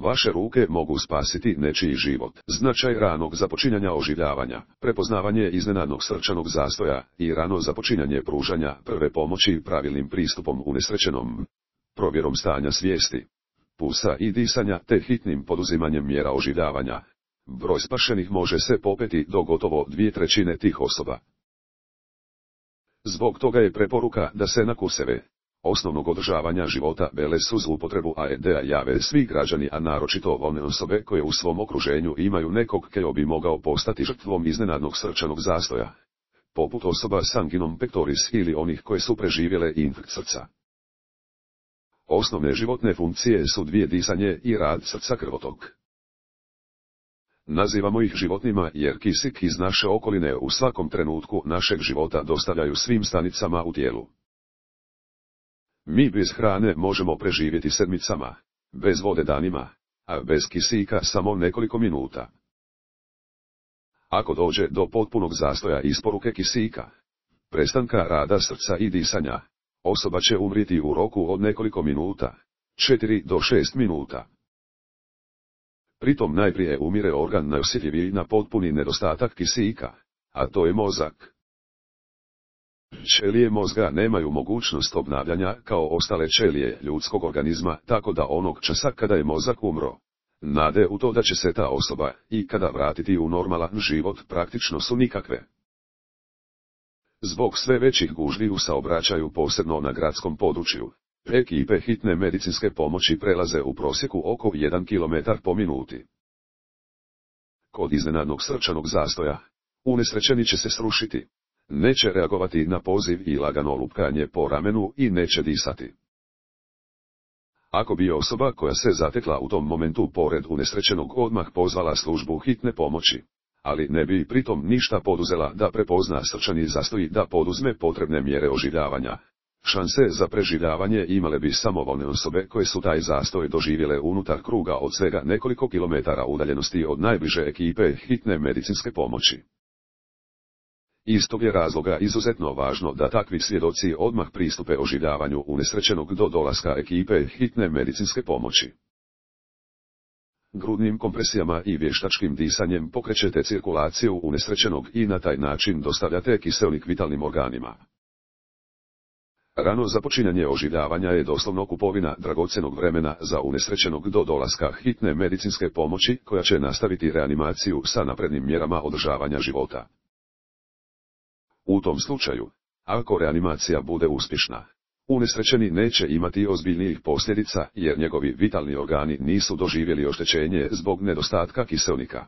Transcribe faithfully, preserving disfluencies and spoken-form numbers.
Vaše ruke mogu spasiti nečiji život. Značaj ranog započinjanja oživljavanja, prepoznavanje iznenadnog srčanog zastoja i rano započinjanje pružanja prve pomoći pravilnim pristupom unesrećenom, provjerom stanja svijesti, pulsa i disanja te hitnim poduzimanjem mjera oživljavanja. Broj spašenih može se popeti do gotovo dvije trećine tih osoba. Zbog toga je preporuka da se na kurseve osnovnog održavanja života bez uz upotrebu A E D-a jave svi građani, a naročito one osobe koje u svom okruženju imaju nekog ko bi mogao postati žrtvom iznenadnog srčanog zastoja, poput osoba s anginom pectoris ili onih koje su preživjele infarkt srca. Osnovne životne funkcije su dvije: disanje i rad srca, krvotok. Nazivamo ih životnima jer kisik iz naše okoline u svakom trenutku našeg života dostavljaju svim stanicama u tijelu. Mi bez hrane možemo preživjeti sedmicama, bez vode danima, a bez kisika samo nekoliko minuta. Ako dođe do potpunog zastoja isporuke kisika, prestanka rada srca i disanja, osoba će umriti u roku od nekoliko minuta, četiri do šest minuta. Pritom najprije umire organ najosjetljiviji na potpuni nedostatak kisika, a to je mozak. Ćelije mozga nemaju mogućnost obnavljanja kao ostale ćelije ljudskog organizma, tako da onog časa kada je mozak umro, nade u to da će se ta osoba i kada vratiti u normalan život praktično su nikakve. Zbog sve većih gužvi u saobraćaju, posebno na gradskom području, ekipe hitne medicinske pomoći prelaze u prosjeku oko jedan kilometar po minuti. Kod iznenadnog srčanog zastoja, unesrećeni će se srušiti, neće reagovati na poziv i lagano lupkanje po ramenu i neće disati. Ako bi osoba koja se zatekla u tom momentu pored unesrećenog odmah pozvala službu hitne pomoći, ali ne bi pritom ništa poduzela da prepozna srčani zastoj i da poduzme potrebne mjere oživljavanja, šanse za preživljavanje imale bi samo one osobe koje su taj zastoj doživjele unutar kruga od svega nekoliko kilometara udaljenosti od najbliže ekipe hitne medicinske pomoći. Iz tog je razloga izuzetno važno da takvi svjedoci odmah pristupe oživljavanju unesrećenog do dolaska ekipe hitne medicinske pomoći. Grudnim kompresijama i vještačkim disanjem pokrećete cirkulaciju unesrećenog i na taj način dostavljate kiseonik vitalnim organima. Rano započinjanje oživljavanja je doslovno kupovina dragocjenog vremena za unesrećenog do dolaska hitne medicinske pomoći koja će nastaviti reanimaciju sa naprednim mjerama održavanja života. U tom slučaju, ako reanimacija bude uspješna, unesrećeni neće imati ozbiljnijih posljedica jer njegovi vitalni organi nisu doživjeli oštećenje zbog nedostatka kiseonika.